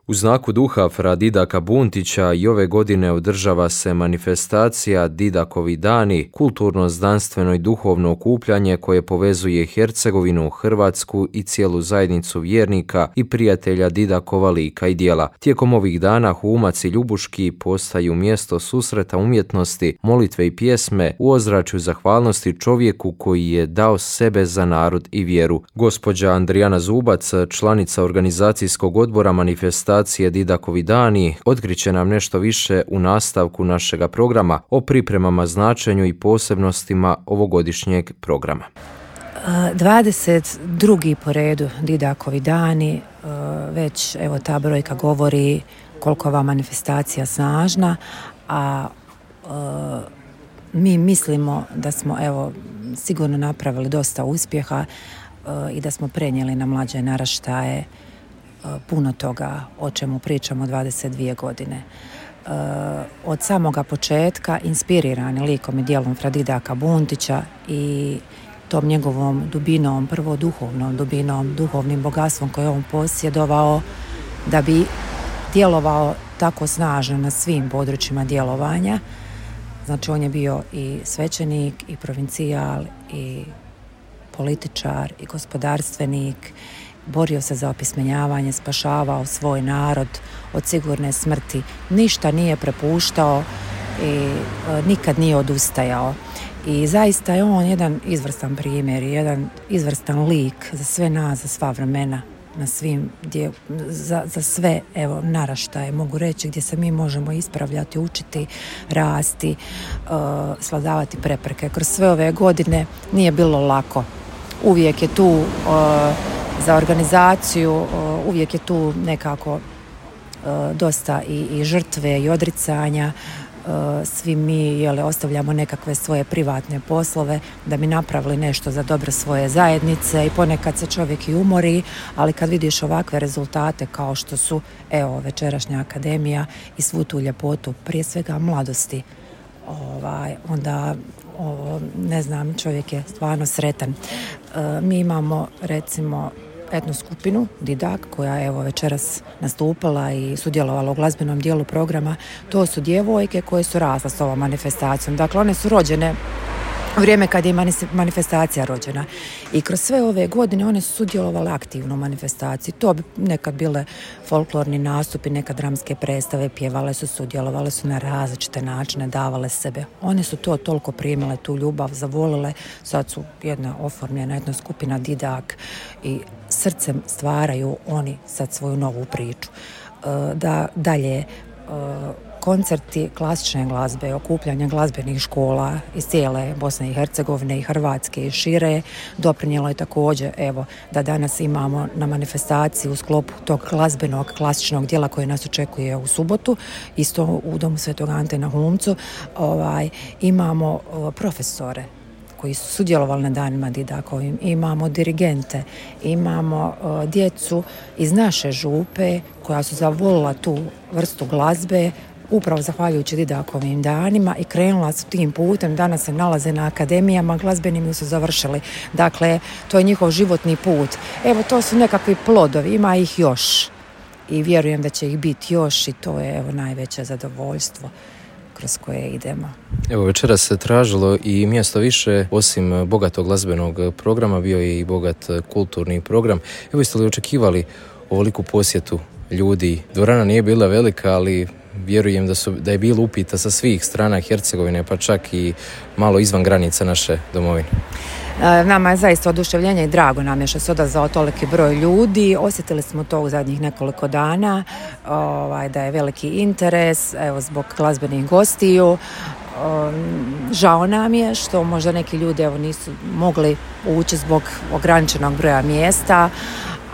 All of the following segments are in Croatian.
U znaku duha fra Didaka Buntića i ove godine održava se manifestacija Didakovi dani, kulturno, znanstveno i duhovno okupljanje koje povezuje Hercegovinu, Hrvatsku i cijelu zajednicu vjernika i prijatelja Didakova lika i djela. Tijekom ovih dana Humac i Ljubuški postaju mjesto susreta umjetnosti, molitve i pjesme u ozračju zahvalnosti čovjeku koji je dao sebe za narod i vjeru. Gospođa Andrijana Zubac, članica organizacijskog odbora manifestacije Didakovi dani, otkriće nam nešto više u nastavku našega programa o pripremama, značenju i posebnostima ovogodišnjeg programa. 22. po redu Didakovi dani, već evo ta brojka govori koliko ova manifestacija snažna, a mi mislimo da smo evo sigurno napravili dosta uspjeha i da smo prenijeli na mlađe naraštaje puno toga o čemu pričamo 22 godine. Od samoga početka inspirirani likom i djelom fra Didaka Buntića i tom njegovom dubinom, prvo duhovnom dubinom, duhovnim bogatstvom koje on posjedovao da bi djelovao tako snažno na svim područjima djelovanja. Znači on je bio i svećenik, i provincijal, i političar, i gospodarstvenik, borio se za opismenjavanje, spašavao svoj narod od sigurne smrti, ništa nije prepuštao i nikad nije odustajao. I zaista je on jedan izvrstan primjer, jedan izvrstan lik za sve nas, za sva vremena, na svim za sve evo naraštaje, mogu reći, gdje se mi možemo ispravljati, učiti, rasti, svladavati prepreke. Kroz sve ove godine nije bilo lako. Uvijek je tu za organizaciju, uvijek je tu nekako dosta i žrtve i odricanja. Svi mi ostavljamo nekakve svoje privatne poslove da bi napravili nešto za dobro svoje zajednice i ponekad se čovjek i umori, ali kad vidiš ovakve rezultate kao što su evo večerašnja akademija i svu tu ljepotu, prije svega mladosti, onda ne znam, čovjek je stvarno sretan. Mi imamo recimo etnu skupinu Didak koja je evo večeras nastupala i sudjelovala u glazbenom dijelu programa. To su djevojke koje su rasle s ovom manifestacijom. Dakle, one su rođene u vrijeme kad je manifestacija rođena. I kroz sve ove godine one su sudjelovale aktivno u manifestaciji. To bi nekad bile folklorni nastupi, nekad dramske predstave, pjevale su, sudjelovale su na različite načine, davale sebe. One su to toliko primile, tu ljubav, zavolile. Sad su jedna oformljena, jedna skupina Didak i srcem stvaraju oni sad svoju novu priču. Dalje, koncerti klasične glazbe, okupljanje glazbenih škola iz cijele Bosne i Hercegovine i Hrvatske i šire doprinijelo je također evo da danas imamo na manifestaciji u sklopu tog glazbenog klasičnog dijela koje nas očekuje u subotu, isto u Domu Svetog Ante na Humcu, imamo profesore koji su sudjelovali na danima Didakovim, imamo dirigente, imamo djecu iz naše župe koja su zavolila tu vrstu glazbe upravo zahvaljujući Didakovim danima i krenula su tim putem. Danas se nalaze na akademijama glazbenim i su završili. Dakle, to je njihov životni put. Evo, to su nekakvi plodovi, ima ih još i vjerujem da će ih biti još i to je evo najveće zadovoljstvo kroz koje idemo. Evo večeras se tražilo i mjesto više, osim bogatog glazbenog programa bio je i bogat kulturni program. Evo jeste li očekivali ovoliku posjetu ljudi? Dvorana nije bila velika, ali vjerujem da je bilo upita sa svih strana Hercegovine, pa čak i malo izvan granica naše domovine. Nama je zaista oduševljenje i drago nam je što se odazvao toliki broj ljudi. Osjetili smo to u zadnjih nekoliko dana, da je veliki interes, evo zbog glazbenih gostiju. Žao nam je što možda neki ljudi evo nisu mogli ući zbog ograničenog broja mjesta,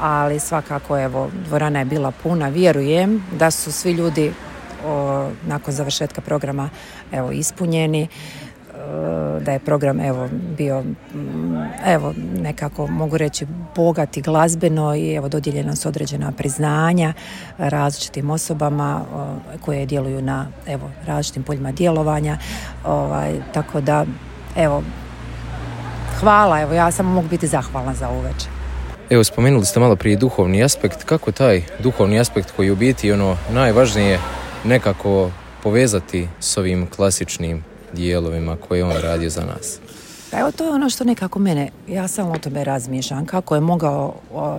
ali svakako evo dvorana je bila puna. Vjerujem da su svi ljudi nakon završetka programa evo ispunjeni, da je program evo bio evo nekako mogu reći bogat i glazbeno i evo dodijeljena su određena priznanja različitim osobama koje djeluju na evo različitim poljima djelovanja, tako da evo hvala, evo ja samo mogu biti zahvalna za ovu večer. Evo, spomenuli ste malo prije duhovni aspekt. Kako taj duhovni aspekt koji u biti najvažnije nekako povezati s ovim klasičnim dijelovima koje on radio za nas? Pa evo, to je ono što nekako ja samo o tome razmišljam, kako je mogao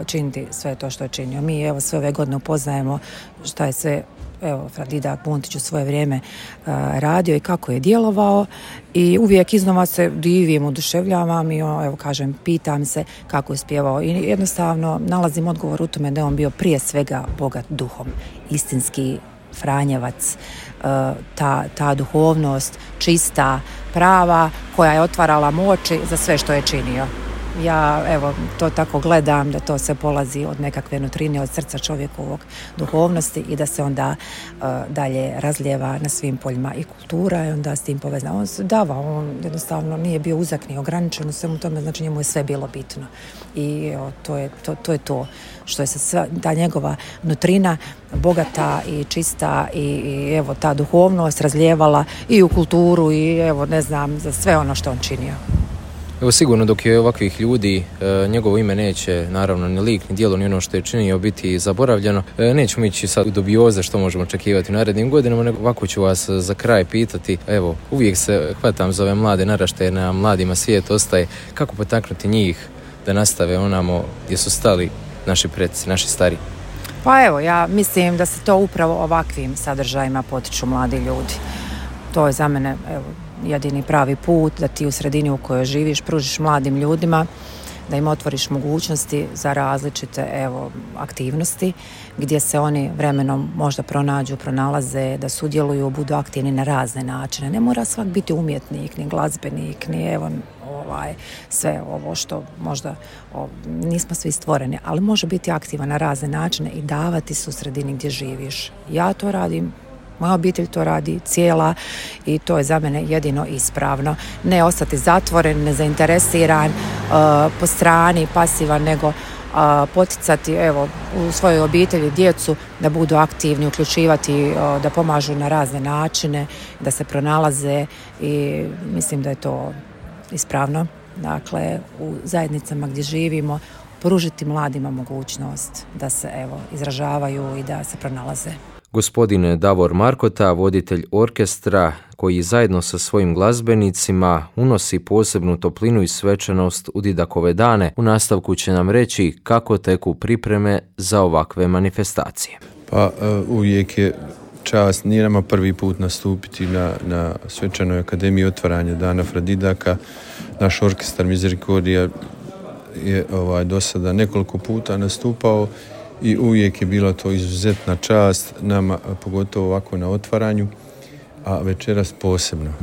činiti sve to što je činio. Mi evo sve ove godine upoznajemo šta je sve Fra Didak Buntić u svoje vrijeme radio i kako je djelovao i uvijek iznova se divim, oduševljavam i pitam se kako je spjevao i jednostavno nalazim odgovor u tome da je on bio prije svega bogat duhom, istinski Franjevac, ta duhovnost čista, prava, koja je otvarala oči za sve što je činio. Ja to tako gledam, da to sve polazi od nekakve nutrine, od srca čovjekovog duhovnosti i da se onda dalje razlijeva na svim poljima i kultura i onda s tim povezano. On se davao, on jednostavno nije bio uzak ni ograničen u svemu tome, znači njemu je sve bilo bitno. I to je to što je se ta njegova nutrina bogata i čista i ta duhovnost razlijevala i u kulturu i za sve ono što on činio. Evo, sigurno dok je ovakvih ljudi, njegovo ime neće, naravno, ni lik, ni djelo, ni ono što je činio biti zaboravljeno. Nećemo ići sad u dubioze što možemo očekivati u narednim godinama, nego ovako ću vas za kraj pitati. Evo, uvijek se hvatam za ove mlade naraštaje, na mladima svijet ostaje. Kako potaknuti njih da nastave onamo gdje su stali naši preci, naši stari? Pa evo, ja mislim da se to upravo ovakvim sadržajima potiču mladi ljudi. To je za mene, jedini pravi put, da ti u sredini u kojoj živiš pružiš mladim ljudima, da im otvoriš mogućnosti za različite aktivnosti gdje se oni vremenom možda pronalaze, da sudjeluju, budu aktivni na razne načine. Ne mora svak biti umjetnik, ni glazbenik, ni sve ovo što možda nismo svi stvoreni, ali može biti aktivan na razne načine i davati se u sredini gdje živiš. Ja to radim, moja obitelj to radi cijela i to je za mene jedino ispravno. Ne ostati zatvoren, nezainteresiran, po strani, pasivan, nego poticati u svojoj obitelji djecu da budu aktivni, uključivati, da pomažu na razne načine, da se pronalaze i mislim da je to ispravno. Dakle, u zajednicama gdje živimo pružiti mladima mogućnost da se izražavaju i da se pronalaze. Gospodin Davor Markota, voditelj orkestra koji zajedno sa svojim glazbenicima unosi posebnu toplinu i svečanost u Didakove dane, u nastavku će nam reći kako teku pripreme za ovakve manifestacije. Pa uvijek je čast, nije nama prvi put nastupiti na svečanoj akademiji otvaranja Dana Fra Didaka. Naš orkestar Mizerikordija je do sada nekoliko puta nastupao i uvijek je bila to izuzetna čast nama, pogotovo ovako na otvaranju, a večeras posebno.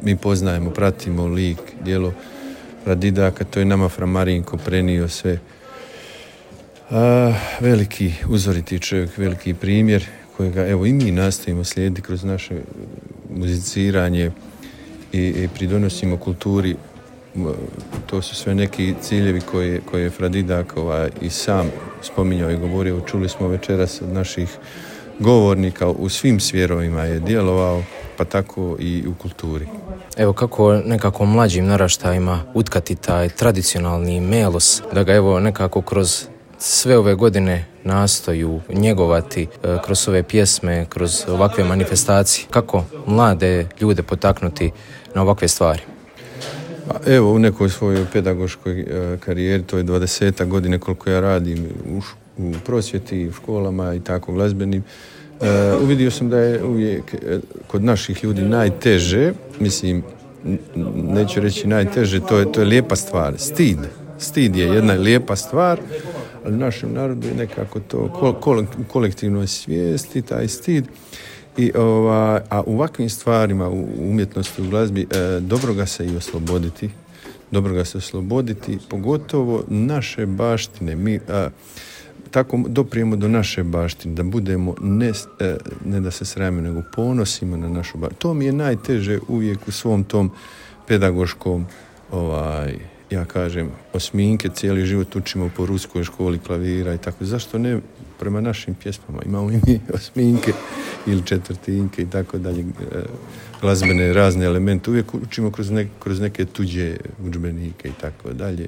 Mi poznajemo, pratimo lik, djelo Fra Didaka, to je nama Fra Marinko prenio sve. Veliki uzoriti čovjek, veliki primjer kojega i mi nastojimo slijediti kroz naše muziciranje i pridonosimo kulturi. To su sve neki ciljevi koje je Fra Didak i sam spominjao i govorio. Čuli smo večeras od naših govornika, u svim smjerovima je djelovao, pa tako i u kulturi. Evo, kako nekako mlađim naraštajima utkati taj tradicionalni melos, da ga nekako kroz sve ove godine nastoju njegovati kroz ove pjesme, kroz ovakve manifestacije. Kako mlade ljude potaknuti na ovakve stvari? Evo, u nekoj svojoj pedagoškoj karijeri, to je 20 godine koliko ja radim u prosvjeti, u školama i tako glazbenim, uvidio sam da je uvijek kod naših ljudi najteže, mislim, neću reći najteže, to je lijepa stvar, stid. Stid je jedna lijepa stvar, ali u našem narodu je nekako to kolektivnoj svijesti, taj stid. A u ovakvim stvarima, u umjetnosti, u glazbi, dobro ga se osloboditi, pogotovo naše baštine. Mi tako doprijemo do naše baštine, da budemo ne da se sramimo, nego ponosimo na našu baštinu. To mi je najteže uvijek u svom tom pedagoškom, ja kažem, osminke, cijeli život učimo po ruskoj školi klavira i tako. Zašto ne prema našim pjesmama? Imamo i mi osminke ili četvrtinke i tako dalje, glazbene razne elemente. Uvijek učimo kroz neke tuđe udžbenike i tako dalje.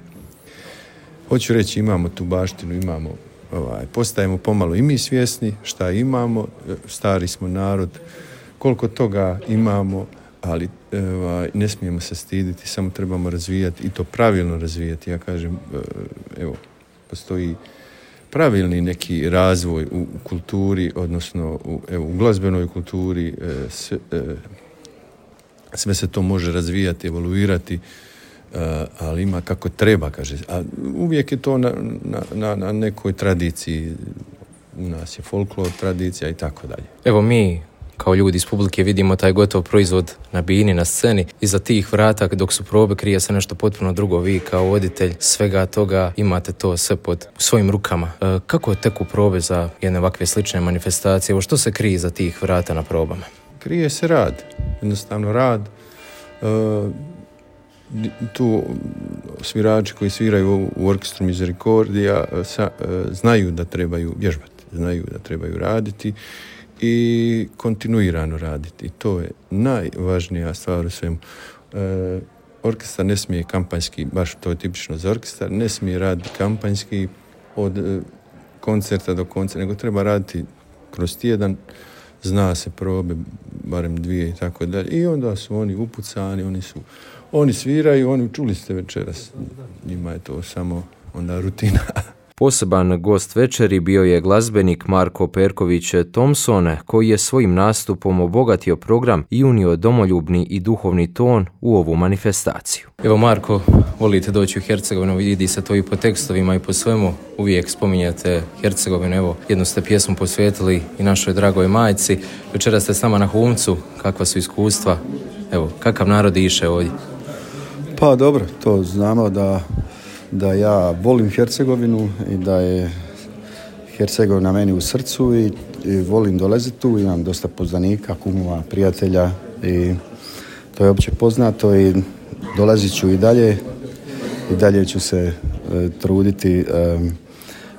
hoću reći, imamo tu baštinu, imamo, postajemo pomalo i mi svjesni šta imamo, stari smo narod, koliko toga imamo, ali ne smijemo se stiditi, samo trebamo razvijati i to pravilno razvijati. Ja kažem, evo, postoji pravilni neki razvoj u kulturi, odnosno u glazbenoj kulturi, sve se to može razvijati, evoluirati, ali ima kako treba, kaže. A uvijek je to na nekoj tradiciji. U nas je folklor, tradicija i tako dalje. Evo mi kao ljudi iz publike vidimo taj gotov proizvod na bini, na sceni. Iza tih vrata dok su probe krije se nešto potpuno drugo. Vi kao voditelj svega toga imate to sve pod svojim rukama. Kako teku probe za jedne ovakve slične manifestacije? Evo što se krije iza tih vrata na probama? Krije se rad, jednostavno rad. Tu svirači koji sviraju u orkestru Misericordija znaju da trebaju vježbati, znaju da trebaju raditi i kontinuirano raditi. I to je najvažnija stvar u svemu. Orkestar ne smije kampanjski, baš to je tipično za orkestar, ne smije raditi kampanjski od koncerta do koncerta, nego treba raditi kroz tjedan, zna se probe, barem 2 i tako dalje. I onda su oni upucani, oni sviraju, oni čuli ste večeras. Njima je to samo onda rutina. Poseban gost večeri bio je glazbenik Marko Perković Thompson, koji je svojim nastupom obogatio program i unio domoljubni i duhovni ton u ovu manifestaciju. Evo Marko, volite doći u Hercegovinu, vidi se to i po tekstovima i po svemu. Uvijek spominjate Hercegovinu, evo jednu ste pjesmu posvetili i našoj dragoj majci. Večera ste s nama na Humcu, kakva su iskustva? Evo, kakav narod iše ovdje? Pa dobro, to znamo da ja volim Hercegovinu i da je Hercegovina meni u srcu i volim dolaziti tu, imam dosta poznanika, kumova, prijatelja i to je opće poznato i dolazit ću i dalje ću se truditi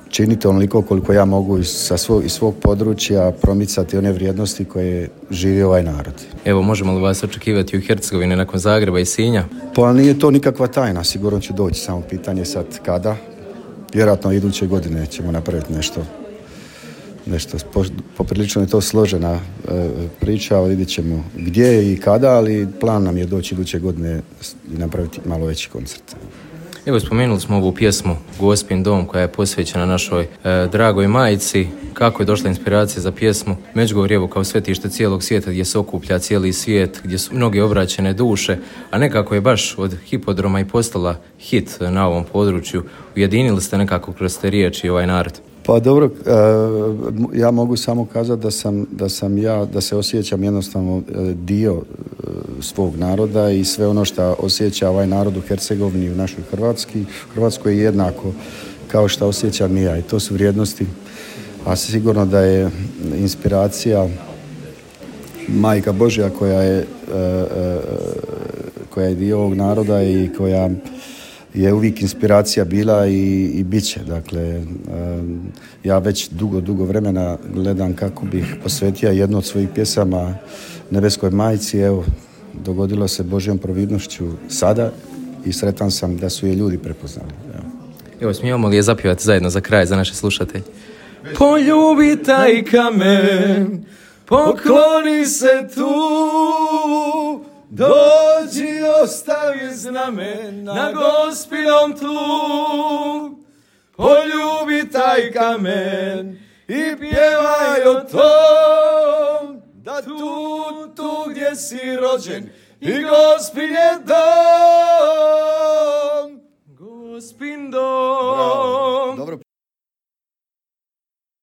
činiti onoliko koliko ja mogu iz svog područja promicati one vrijednosti koje živi ovaj narod. Evo, možemo li vas očekivati u Hercegovini nakon Zagreba i Sinja? Pa nije to nikakva tajna, sigurno ću doći, samo pitanje sad kada. Vjerojatno iduće godine ćemo napraviti nešto. Poprilično je to složena priča, ali vidjet ćemo gdje i kada, ali plan nam je doći iduće godine i napraviti malo veći koncert. Evo, spomenuli smo ovu pjesmu Gospin dom koja je posvećena našoj dragoj majci. Kako je došla inspiracija za pjesmu? Međugorje, evo, kao svetište cijelog svijeta gdje se okuplja cijeli svijet, gdje su mnoge obraćene duše, a nekako je baš od hipodroma i postala hit na ovom području. Ujedinili ste nekako kroz te riječi ovaj narod. Pa dobro, ja mogu samo kazati da se osjećam jednostavno dio svog naroda i sve ono što osjeća ovaj narod u Hercegovini i u našoj Hrvatskoj je jednako kao što osjećam i ja. I to su vrijednosti, a sigurno da je inspiracija Majka Božja koja je dio ovog naroda i koja je uvijek inspiracija bila i bit će. Dakle, ja već dugo vremena gledam kako bih posvetio jednu od svojih pjesama Nebeskoj majci. Evo, dogodilo se Božjom providnošću sada i sretan sam da su je ljudi prepoznali. Evo, smijemo li je zapjevati zajedno za kraj, za naše slušatelje? Poljubi taj kamen, pokloni se tu, dođi ostavi znamen na Gospinom tlu. Poljubi taj kamen i pjevaj o tom, da tu gdje si rođen i Gospin je dom. Gospin dom.